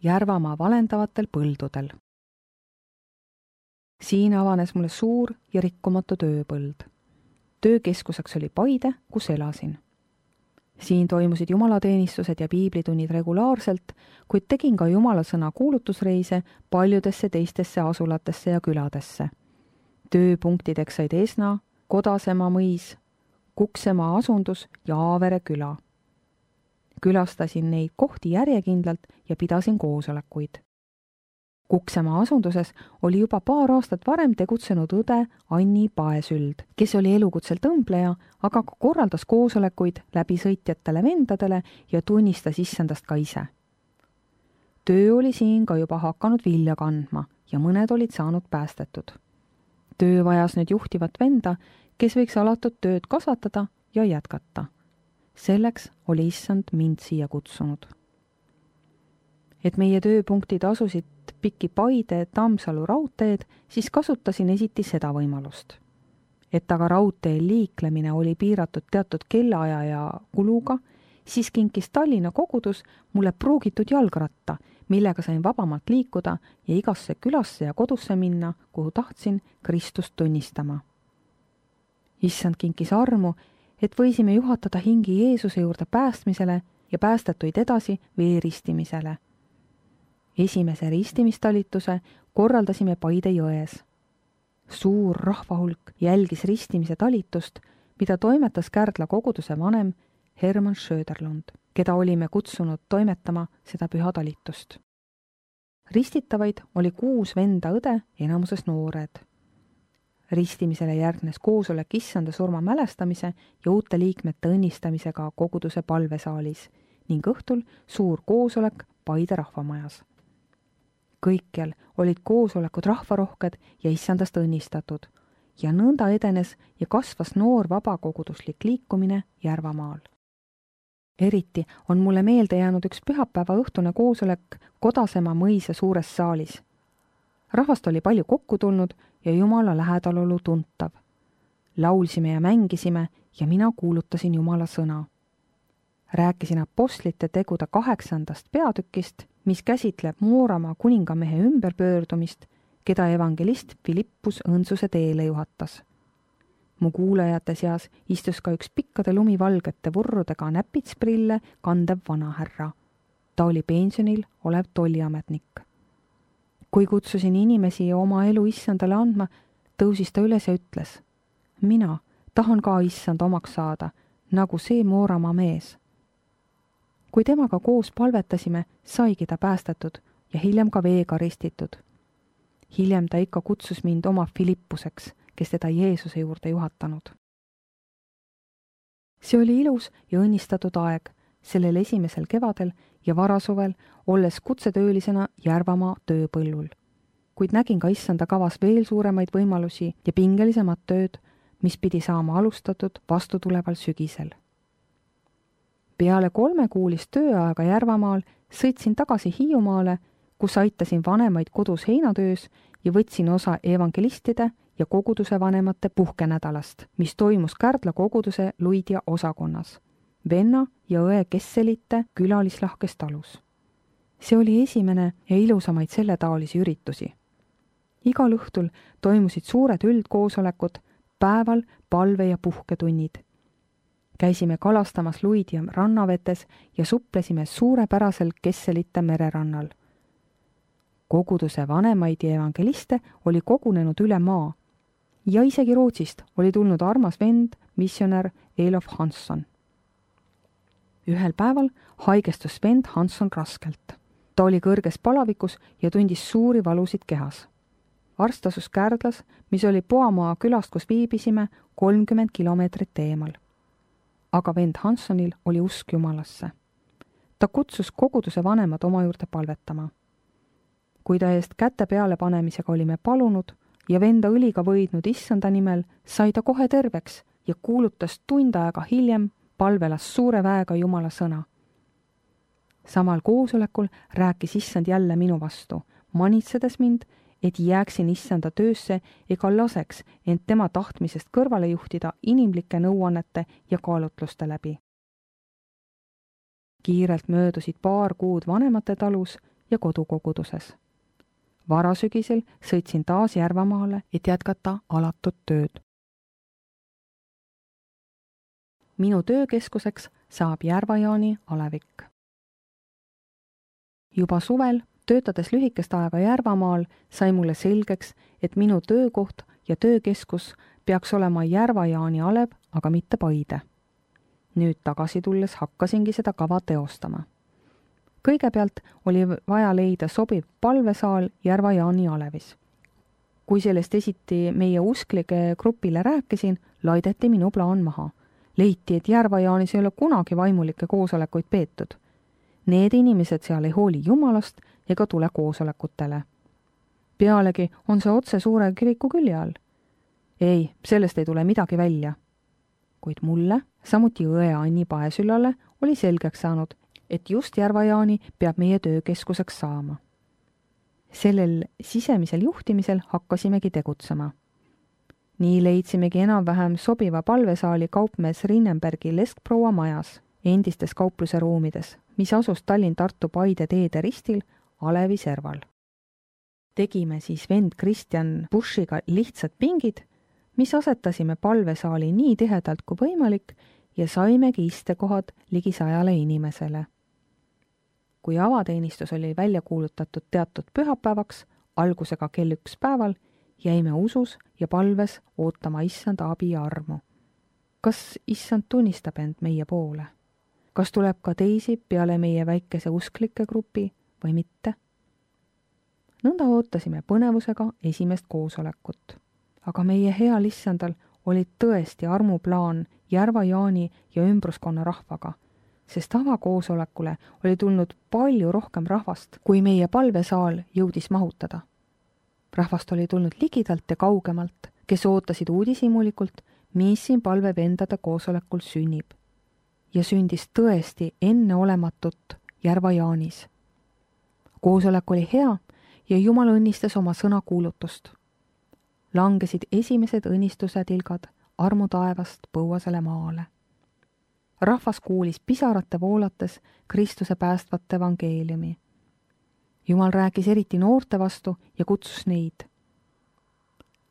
Järvamaa valendavatel põldudel. Siin avanes mulle suur ja rikkumatu tööpõld. Töökeskuseks oli Paide, kus elasin. Siin toimusid jumalateenistused ja piiblitunnid regulaarselt, kuid tegin ka jumalasõna kuulutusreise paljudesse teistesse asulatesse ja küladesse. Tööpunktideks said Esna, Kodasemaa mõis, Kuksemaa asundus ja Aavere küla. Külastasin neid kohti järjekindlalt ja pidasin koosolekuid. Kuksemaa asunduses oli juba paar aastat varem tegutsenud õde Anni Paesüld, kes oli elukutselt õmbleja, aga ka korraldas koosolekuid läbisõitjatele vendadele ja tunnistas issandast ka ise. Töö oli siin ka juba hakanud vilja kandma ja mõned olid saanud päästetud. Töö vajas nüüd juhtivat venda, kes võiks alatud tööd kasvatada ja jätkata. Selleks oli issand mind siia kutsunud. Et meie tööpunktid asusid pikki Paide Tammsalu raudteed, siis kasutasin esiti seda võimalust. Et aga raudteel liiklemine oli piiratud teatud kellaaja ja kuluga, siis kinkis Tallinna kogudus mulle pruugitud jalgratta, millega sain vabamalt liikuda ja igasse külasse ja kodusse minna, kuhu tahtsin Kristust tunnistama. Issand kinkis armu, et võisime juhatada hingi Jeesuse juurde päästmisele ja päästetuid edasi veeristimisele. Esimese ristimistalituse korraldasime Paide jões. Suur rahvahulk jälgis ristimise talitust, mida toimetas Kärdla koguduse vanem Hermann Söderlund, keda olime kutsunud toimetama seda püha talitust. Ristitavaid oli 6 venda õde, enamuses noored. Ristimisele järgnes koosolek issanda surma mälestamise ja uute liikmete õnnistamisega koguduse palvesaalis ning õhtul suur koosolek Paide rahvamajas. Kõikjal olid koosolekud rahvarohked ja issandast õnnistatud ja nõnda edenes ja kasvas noor vabakoguduslik liikumine Järvamaal. Eriti on mulle meelde jäänud üks pühapäeva õhtune koosolek Kodasemaa mõisa suures saalis. Rahvast oli palju kokku tulnud ja Jumala lähedalolu tuntav. Laulsime ja mängisime ja mina kuulutasin Jumala sõna. Rääkisin apostlite tegude 8. peatükist, mis käsitleb Mooramaa kuningamehe ümberpöördumist, keda evangelist Filippus õndsuse teele juhatas. Mu kuulajate seas istus ka üks pikkade lumivalgete vurrudega näpitsprille kandev vanahärra. Ta oli pensionil olev tolliametnik. Kui kutsusin inimesi oma elu issandale andma, tõusis ta üles ja ütles: mina tahan ka issand omaks saada, nagu see Mooramaa mees. Kui temaga koos palvetasime, saigi ta päästetud ja hiljem ka veega ristitud. Hiljem ta ikka kutsus mind oma Filippuseks, kes teda Jeesuse juurde juhatanud. See oli ilus ja õnnistatud aeg sellel esimesel kevadel ja varasuvel, olles kutsetöölisena Järvamaa tööpõllul. Kuid nägin ka issanda kavas veel suuremaid võimalusi ja pingelisemat tööd, mis pidi saama alustatud vastutuleval sügisel. Peale 3-kuulist tööaega Järvamaal sõitsin tagasi Hiiumaale, kus aitasin vanemaid kodus heinatöös ja võtsin osa evangelistide ja koguduse vanemate puhkenädalast, mis toimus Kärdla koguduse Luidja osakonnas, venna ja õe Kesselite külalislahkes talus. See oli esimene ja ilusamaid selletaolisi üritusi. Igal õhtul toimusid suured üldkoosolekud, päeval palve- ja puhketunnid. Käisime kalastamas Luidja rannavetes ja suplesime suurepärasel Kesselite mererannal. Koguduse vanemaid ja evangeliste oli kogunenud üle maa ja isegi Rootsist oli tulnud armas vend, missionär Elof Hansson. Ühel päeval haigestus vend Hansson raskelt. Ta oli kõrges palavikus ja tundis suuri valusid kehas. Arst asus Kärdlas, mis oli Poamaa külast, kus viibisime, 30 kilomeetrit eemal. Aga vend Hanssonil oli usk Jumalasse. Ta kutsus koguduse vanemad oma juurde palvetama. Kui ta eest käte peale panemisega olime palunud ja venda õliga võidnud issanda nimel, sai ta kohe terveks ja kuulutas tund aega hiljem palvelas suure väega Jumala sõna. Samal koosolekul rääkis issand jälle minu vastu, manitsedes mind, et jääksin issanda töösse ega laseks end tema tahtmisest kõrvale juhtida inimlike nõuannete ja kaalutluste läbi. Kiirelt möödusid paar kuud vanemate talus ja kodukoguduses. Varasügisel sõitsin taas Järvamaale, et jätkata alatut tööd. Minu töökeskuseks saab Järva-Jaani alevik. Juba suvel, töötades lühikest aega Järvamaal, sai mulle selgeks, et minu töökoht ja töökeskus peaks olema Järva-Jaani alev, aga mitte Paide. Nüüd tagasi tulles hakkasingi seda kava teostama. Kõigepealt oli vaja leida sobiv palvesaal Järva-Jaani alevis. Kui sellest esiti meie usklike grupile rääkisin, laideti minu plaan maha. Leiti, et Järva-Jaanis ei ole kunagi vaimulikke koosolekuid peetud. Need inimesed seal ei hooli Jumalast ega tule koosolekutele. Pealegi on see otse suure kiriku külje all. Ei, sellest ei tule midagi välja. Kuid mulle, samuti õe Anni Paesüllale, oli selgeks saanud, et just Järva-Jaani peab meie töökeskuseks saama. Sellel sisemisel juhtimisel hakkasimegi tegutsema. Nii leidsimegi enam-vähem sobiva palvesaali kaupmees Rinnenbergi Leskproua majas, endistes kaupluse ruumides, mis asus Tallinn-Tartu-Paide teede ristil alevi serval. Tegime siis vend Kristjan Bushiga lihtsad pingid, mis asetasime palvesaali nii tihedalt kui võimalik ja saimegi istekohad ligi 100 inimesele. Kui avateenistus oli välja kuulutatud teatud pühapäevaks, algusega kell 1 päeval, jäime usus ja palves ootama issand abi ja armu. Kas issand tunnistab end meie poole? Kas tuleb ka teisi peale meie väikese usklike grupi või mitte? Nõnda ootasime põnevusega esimest koosolekut. Aga meie heal issandal oli tõesti armuplaan Järva-Jaani ja ümbruskonna rahvaga, sest avakoosolekule oli tulnud palju rohkem rahvast, kui meie palvesaal jõudis mahutada. Rahvast oli tulnud ligidalt ja kaugemalt, kes ootasid uudishimulikult, mis siin palvevendade koosolekul sünnib. Ja sündis tõesti enneolematut Järva-Jaanis. Koosolek oli hea ja Jumal õnnistas oma sõnakuulutust. Langesid esimesed õnnistuse tilgad armu taevast põuasele maale. Rahvas kuulis pisarate voolates Kristuse päästvat evangeeliumi. Jumal rääkis eriti noorte vastu ja kutsus neid.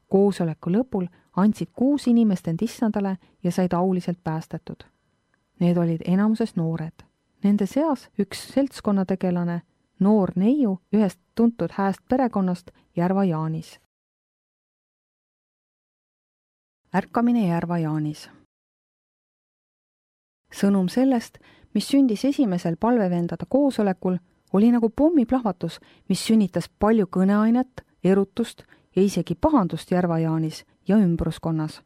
Koosoleku lõpul andsid 6 inimest end issandale ja said auliselt päästetud. Need olid enamuses noored. Nende seas üks seltskonnategelane, noor neiu ühest tuntud hääst perekonnast Järva-Jaanis. Ärkamine Järva-Jaanis. Sõnum sellest, mis sündis esimesel palvevendade koosolekul, oli nagu pommiplahvatus, mis sünnitas palju kõneainet, erutust ja isegi pahandust Järva-Jaanis ja ümbruskonnas.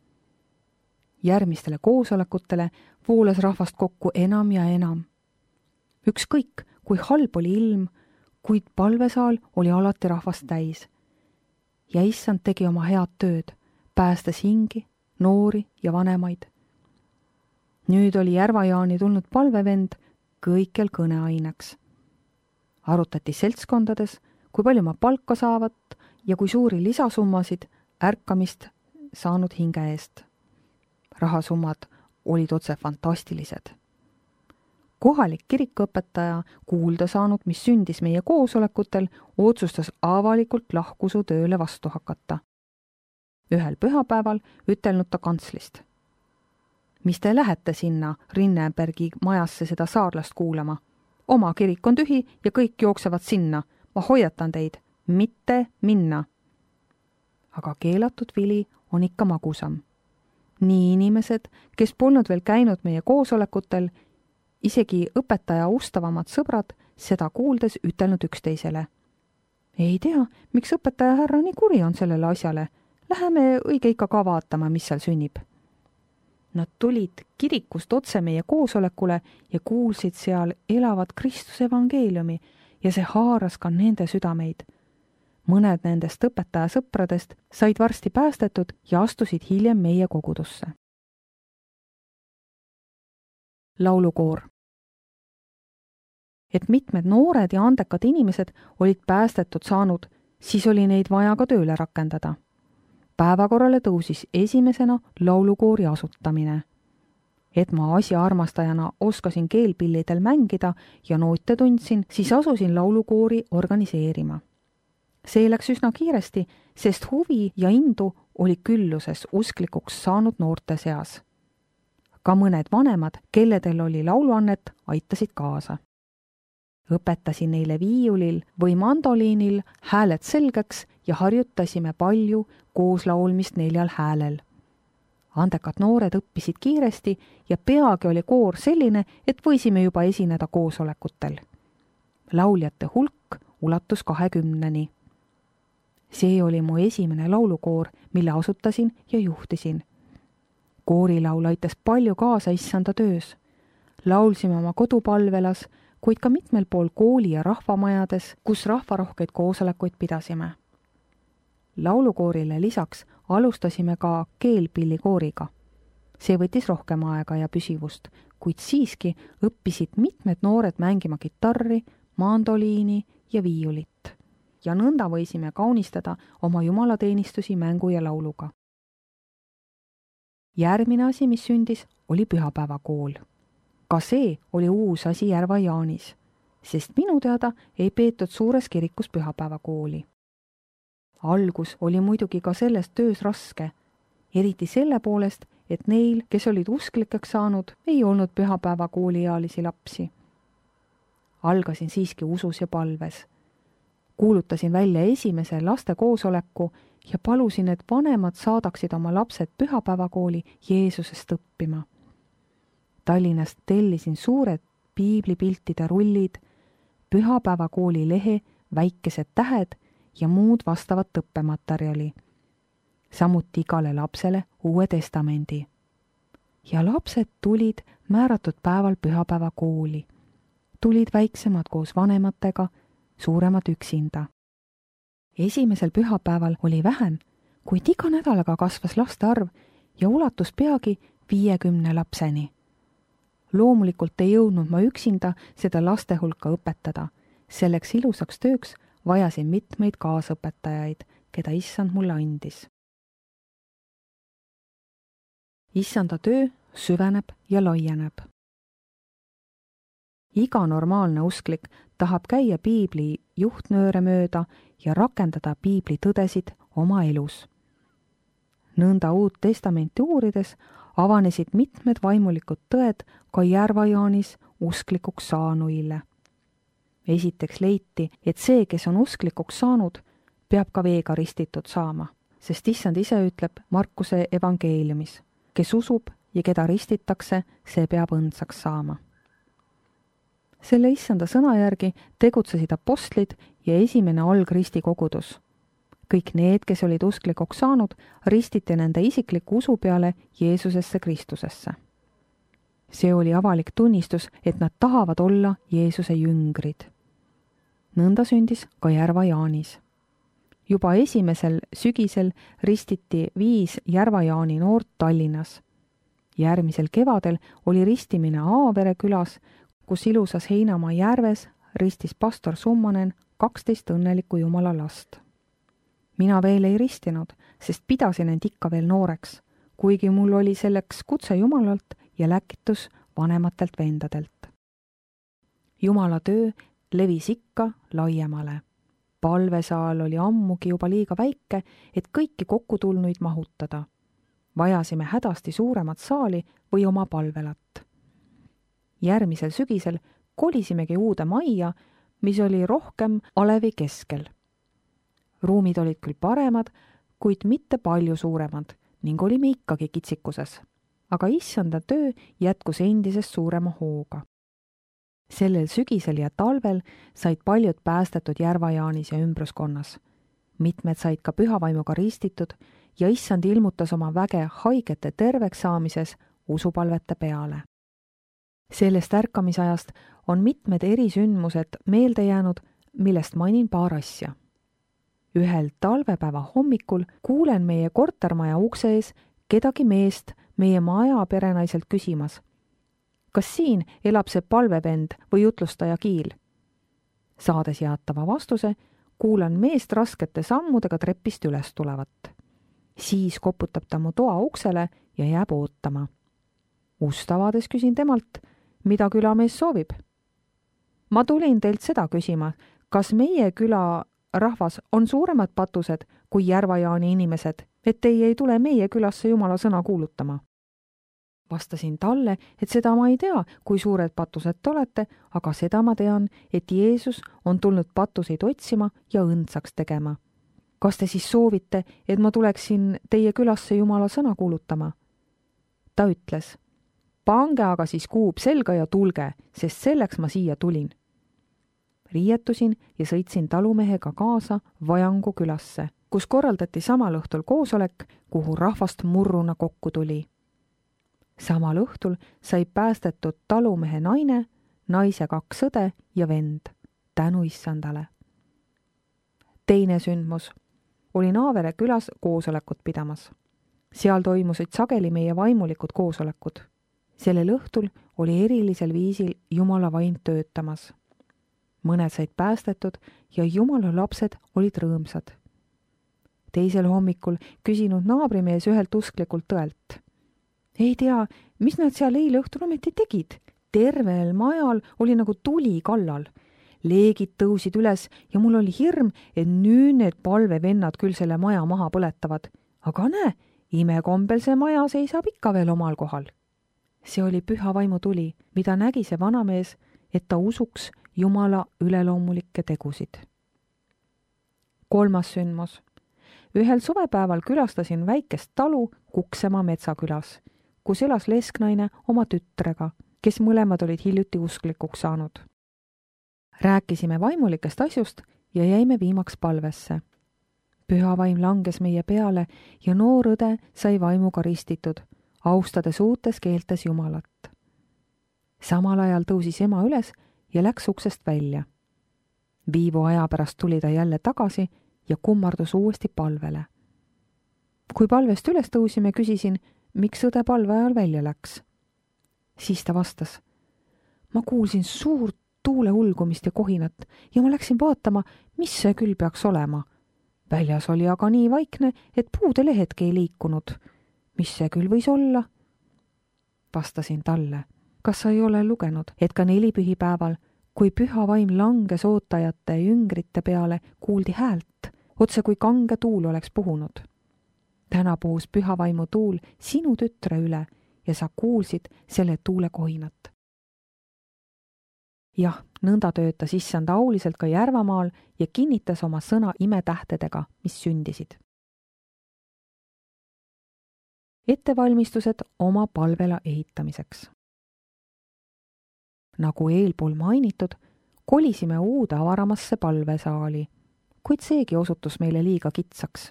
Järgmistele koosolekutele voolas rahvast kokku enam ja enam. Ükskõik, kui halb oli ilm, kuid palvesaal oli alati rahvast täis. Ja issand tegi oma head tööd, päästes hingi, noori ja vanemaid. Nüüd oli Järva-Jaani tulnud palvevend kõikjal kõneaineks. Arutati seltskondades, kui palju ma palka saavat ja kui suuri lisasummasid ärkamist saanud hinge eest. Rahasummad olid otse fantastilised. Kohalik kirikuõpetaja, kuulda saanud, mis sündis meie koosolekutel, otsustas avalikult lahkusu tööle vastu hakata. Ühel pühapäeval ütelnud ta kantslist. Mis te lähete sinna Rinnenbergi majasse seda saarlast kuulama? Oma kirik on tühi ja kõik jooksevad sinna. Ma hoiatan teid, mitte minna. Aga keelatud vili on ikka magusam. Nii inimesed, kes polnud veel käinud meie koosolekutel, isegi õpetaja ustavamad sõbrad, seda kuuldes ütelnud üksteisele. Ei tea, miks õpetaja härra nii kuri on sellele asjale. Läheme õige ikka ka vaatama, mis seal sünnib. Nad tulid kirikust otse meie koosolekule ja kuulsid seal elavat Kristuse evangeeliumi ja see haaras ka nende südameid. Mõned nendest õpetaja sõpradest said varsti päästetud ja astusid hiljem meie kogudusse. Laulukoor. Et mitmed noored ja andekad inimesed olid päästetud saanud, siis oli neid vaja ka tööle rakendada. Päevakorrale tõusis esimesena laulukoori asutamine. Et ma asjaarmastajana oskasin keelpillidel mängida ja noote tundsin, siis asusin laulukoori organiseerima. See läks üsna kiiresti, sest huvi ja indu oli külluses usklikuks saanud noorte seas. Ka mõned vanemad, kelledel oli lauluannet, aitasid kaasa. Õpetasin neile viiulil või mandoliinil hääled selgeks ja harjutasime palju koos laulmist 4 häälel. Andekad noored õppisid kiiresti ja peagi oli koor selline, et võisime juba esineda koosolekutel. Lauljate hulk ulatus 20-ni. See oli mu esimene laulukoor, mille asutasin ja juhtisin. Koorilaul aitas palju kaasa issanda töös. Laulsime oma kodupalvelas, kuid ka mitmel pool kooli ja rahvamajades, kus rahvarohkeid koosolekuid pidasime. Laulukoorile lisaks alustasime ka keelpillikooriga. See võttis rohkem aega ja püsivust, kuid siiski õppisid mitmed noored mängima kitarri, mandoliini ja viiulit. Ja nõnda võisime kaunistada oma jumalateenistusi mängu ja lauluga. Järgmine asi, mis sündis, oli pühapäevakool. Ka see oli uus asi Järva-Jaanis, sest minu teada ei peetud suures kirikus pühapäevakooli. Algus oli muidugi ka selles töös raske, eriti selle poolest, et neil, kes olid usklikeks saanud, ei olnud pühapäevakooliealisi lapsi. Algasin siiski usus ja palves. Kuulutasin välja esimese laste koosoleku ja palusin, et vanemad saadaksid oma lapsed pühapäevakooli Jeesusest õppima. Tallinnast tellisin suured piiblipiltide rullid, pühapäevakooli lehe, väikesed tähed ja muud vastavat õppematerjali. Samuti igale lapsele Uue Testamendi. Ja lapsed tulid määratud päeval pühapäevakooli. Tulid väiksemad koos vanematega, suuremad üksinda. Esimesel pühapäeval oli vähem, kuid iga nädalaga kasvas laste arv ja ulatus peagi 50 lapseni. Loomulikult ei jõudnud ma üksinda seda laste hulka õpetada. Selleks ilusaks tööks vajasin mitmeid kaasõpetajaid, keda issand mulle andis. Issanda töö süveneb ja laieneb. Iga normaalne usklik tahab käia piibli juhtnööre mööda ja rakendada piibli tõdesid oma elus. Nõnda Uut Testamenti uurides avanesid mitmed vaimulikud tõed ka Järva-Jaanis usklikuks saanuile. Esiteks leiti, et see, kes on usklikuks saanud, peab ka veega ristitud saama, sest issand ise ütleb Markuse evangeeliumis, kes usub ja keda ristitakse, see peab õndsaks saama. Selle issanda sõna järgi tegutsesid apostlid ja esimene algristi kogudus. Kõik need, kes olid usklikuks saanud, ristiti nende isikliku usu peale Jeesusesse Kristusesse. See oli avalik tunnistus, et nad tahavad olla Jeesuse jüngrid. Nõnda sündis ka Järva-Jaanis. Juba esimesel sügisel ristiti 5 Järva-Jaani noort Tallinnas. Järgmisel kevadel oli ristimine Aavere külas, kus ilusas Heinamaa järves ristis pastor Summanen 12 õnnelikku Jumala last. Mina veel ei ristinud, sest pidasin end ikka veel nooreks, kuigi mul oli selleks kutse Jumalalt ja läkitus vanematelt vendadelt. Jumala töö levis ikka laiemale. Palvesaal oli ammugi juba liiga väike, et kõiki kokkutulnuid mahutada. Vajasime hädasti suuremat saali või oma palvelat. Järgmisel sügisel kolisimegi uude majja, mis oli rohkem alevi keskel. Ruumid olid küll paremad, kuid mitte palju suuremad ning olime ikkagi kitsikuses. Aga issanda töö jätkus endisest suurema hooga. Sellel sügisel ja talvel said paljud päästetud Järva-Jaanis ja ümbruskonnas. Mitmed said ka pühavaimuga ristitud ja issand ilmutas oma väge haigete terveks saamises usupalvete peale. Sellest ärkamisajast on mitmed erisündmused meelde jäänud, millest mainin paar asja. Ühel talvepäeva hommikul kuulen meie kortermaja ukse ees kedagi meest meie maja perenaiselt küsimas. Kas siin elab see palvevend või jutlustaja Kiil? Saades jaatava vastuse, kuulan meest raskete sammudega trepist üles tulevat. Siis koputab ta mu toa uksele ja jääb ootama. Ust avades küsin temalt, mida külamees soovib. Ma tulin teilt seda küsima, kas meie küla rahvas on suuremad patused kui Järva-Jaani inimesed, et teie ei tule meie külasse Jumala sõna kuulutama. Vastasin talle, et seda ma ei tea, kui suured patused te olete, aga seda ma tean, et Jeesus on tulnud patuseid otsima ja õndsaks tegema. Kas te siis soovite, et ma tuleksin teie külasse Jumala sõna kuulutama? Ta ütles, pange aga siis kuub selga ja tulge, sest selleks ma siia tulin. Riietusin ja sõitsin talumehega kaasa Vajangu külasse, kus korraldati samal õhtul koosolek, kuhu rahvast murruna kokku tuli. Samal õhtul sai päästetud talumehe naine, naise 2 õde ja vend, tänu issandale. Teine sündmus. Olin Aavere külas koosolekut pidamas. Seal toimusid sageli meie vaimulikud koosolekud. Sellel õhtul oli erilisel viisil Jumala vaim töötamas. Mõned said päästetud ja Jumala lapsed olid rõõmsad. Teisel hommikul küsinud naabrimees ühelt usklikult tõelt. Ei tea, mis nad seal eile õhtul ometi tegid. Tervel majal oli nagu tuli kallal. Leegid tõusid üles ja mul oli hirm, et nüüd need palvevennad küll selle maja maha põletavad. Aga näe, imekombel see maja seisab ikka veel omal kohal. See oli püha vaimu tuli, mida nägi see vanamees, et ta usuks Jumala üleloomulikke tegusid. Kolmas sündmus. Ühel suvepäeval külastasin väikest talu Kuksemaa metsakülas, kus elas lesknaine oma tütrega, kes mõlemad olid hiljuti usklikuks saanud. Rääkisime vaimulikest asjust ja jäime viimaks palvesse. Püha vaim langes meie peale ja noor õde sai vaimuga ristitud, austades uutes keeltes Jumalat. Samal ajal tõusis ema üles ja läks uksest välja. Viivu aja pärast tuli ta jälle tagasi ja kummardus uuesti palvele. Kui palvest üles tõusime, küsisin, miks õde palve ajal välja läks. Siis ta vastas, ma kuulsin suurt tuule ulgumist ja kohinat ja ma läksin vaatama, mis see küll peaks olema. Väljas oli aga nii vaikne, et puude lehetki ei liikunud. Mis see küll võis olla? Vastasin talle, kas sa ei ole lugenud, et ka nelipühipäeval, kui püha vaim langes ootajate jüngrite peale, kuuldi häält, otse kui kange tuul oleks puhunud. Täna puhus püha vaimu tuul sinu tütre üle ja sa kuulsid selle tuule kohinat. Jah, nõnda töötas issand auliselt ka Järvamaal ja kinnitas oma sõna imetähtedega, mis sündisid. Ettevalmistused oma palvela ehitamiseks. Nagu eelpool mainitud, kolisime uude avaramasse palvesaali, kuid seegi osutus meile liiga kitsaks.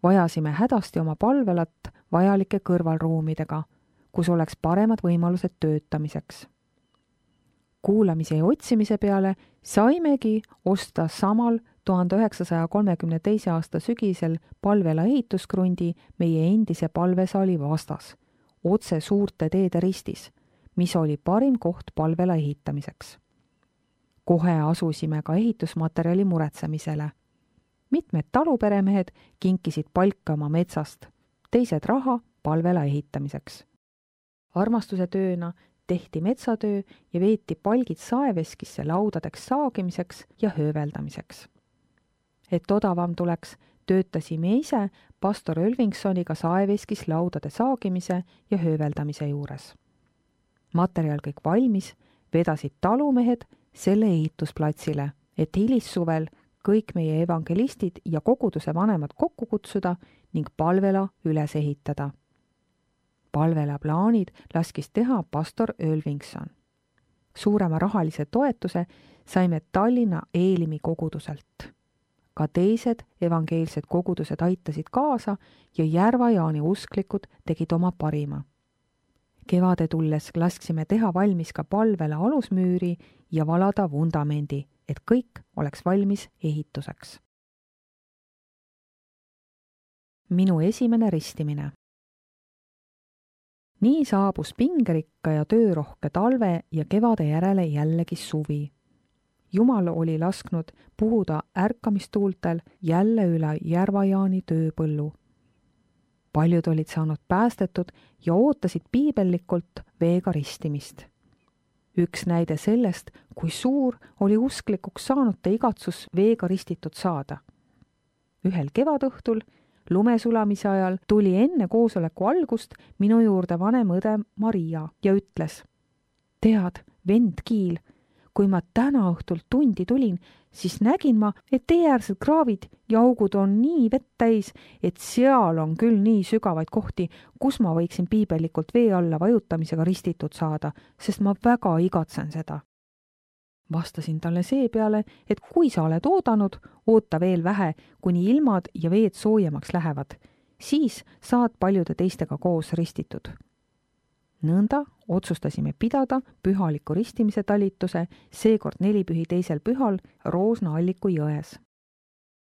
Vajasime hädasti oma palvelat vajalike kõrvalruumidega, kus oleks paremad võimalused töötamiseks. Kuulamise ja otsimise peale saimegi osta samal 1932. aasta sügisel palvela ehituskrundi meie endise palvesaali vastas, otse suurte teede ristis, mis oli parim koht palvela ehitamiseks. Kohe asusime ka ehitusmaterjali muretsemisele. Mitmed taluperemehed kinkisid palka oma metsast, teised raha palvela ehitamiseks. Armastuse tööna tehti metsatöö ja veeti palgid saeveskisse laudadeks saagimiseks ja hööveldamiseks. Et odavam tuleks, töötasime ise pastor Ölvingsoniga saeveskis laudade saagimise ja hööveldamise juures. Materjal kõik valmis, vedasid talumehed selle ehitusplatsile, et hilissuvel kõik meie evangelistid ja koguduse vanemad kokku kutsuda ning palvela üles ehitada. Palvela plaanid laskis teha pastor Ölvingson. Suurema rahalise toetuse saime Tallinna Eelimi koguduselt. Ka teised evangeelsed kogudused aitasid kaasa ja Järva-Jaani usklikud tegid oma parima. Kevade tulles lasksime teha valmis ka palvela alusmüüri ja valada vundamendi, et kõik oleks valmis ehituseks. Minu esimene ristimine. Nii saabus pingerikka ja töörohke talve ja kevade järele jällegi suvi. Jumal oli lasknud puhuda ärkamistuultel jälle üle Järva-Jaani tööpõllu. paljud olid saanud päästetud ja ootasid piibellikult veega ristimist. Üks näide sellest, kui suur oli usklikuks saanute igatsus veega ristitud saada. Ühel kevadõhtul, lumesulamise ajal, tuli enne koosoleku algust minu juurde vanem õde Maria ja ütles: tead, vend Kiil, kui ma täna õhtul tundi tulin, siis nägin ma, et teeäärsed kraavid ja augud on nii vett täis, et seal on küll nii sügavaid kohti, kus ma võiksin piibellikult vee alla vajutamisega ristitud saada, sest ma väga igatsen seda. Vastasin talle seepeale, et kui sa oled oodanud, oota veel vähe, kuni ilmad ja veed soojemaks lähevad. Siis saad paljude teistega koos ristitud. Nõnda otsustasime pidada pühaliku ristimise talituse, seekord 4 pühi teisel pühal Roosna Alliku jões.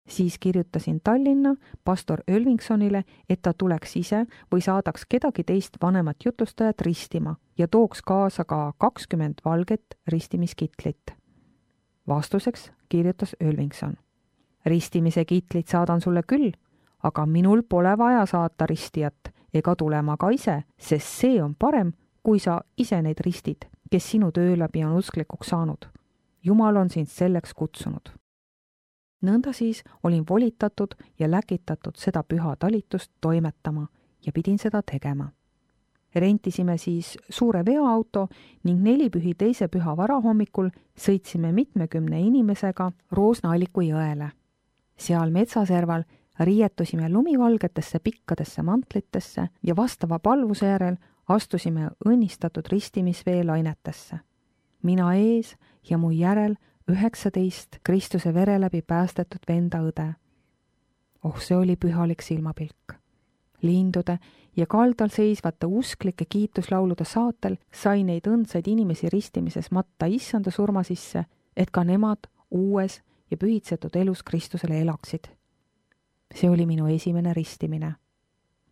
Siis kirjutasin Tallinna pastor Ölvingsonile, et ta tuleks ise või saadaks kedagi teist vanemat jutustajat ristima ja tooks kaasa ka 20 valget ristimiskitlit. Vastuseks kirjutas Ölvingson: ristimise kitlit saadan sulle küll, aga minul pole vaja saata ristijat ega tulema ka ise, sest see on parem, kui sa ise neid ristid, kes sinu töö läbi on usklikuks saanud. Jumal on sind selleks kutsunud. Nõnda siis olin volitatud ja läkitatud seda püha talitust toimetama ja pidin seda tegema. Rentisime siis suure veoauto ning 4 pühi teise püha varahommikul sõitsime 70 inimesega Roosna Alliku jõele. Seal metsaserval riietusime lumivalgetesse pikkadesse mantlitesse ja vastava palvuse järel astusime õnnistatud ristimisvee lainetesse. Mina ees ja mu järel 19 Kristuse vere läbi päästetud venda õde. Oh, see oli pühalik silmapilk. Lindude ja kaldal seisvate usklike kiituslaulude saatel sai neid õndsaid inimesi ristimises matta issanda surma sisse, et ka nemad uues ja pühitsetud elus Kristusele elaksid. See oli minu esimene ristimine.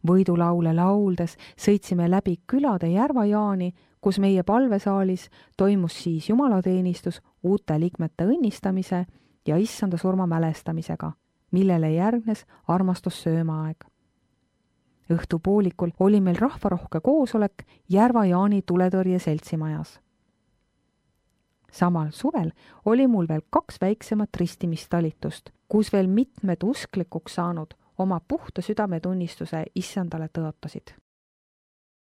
Võidulaule lauldes sõitsime läbi külade Järva-Jaani, kus meie palvesaalis toimus siis jumalateenistus uute liikmete õnnistamise ja issanda surma mälestamisega, millele järgnes armastussöömaaeg. Õhtupoolikul oli meil rahvarohke koosolek Järva-Jaani tuletõrje seltsimajas. Samal suvel oli mul veel 2 väiksemat ristimistalitust, kus veel mitmed usklikuks saanud oma puhta südametunnistuse issandale tõotasid.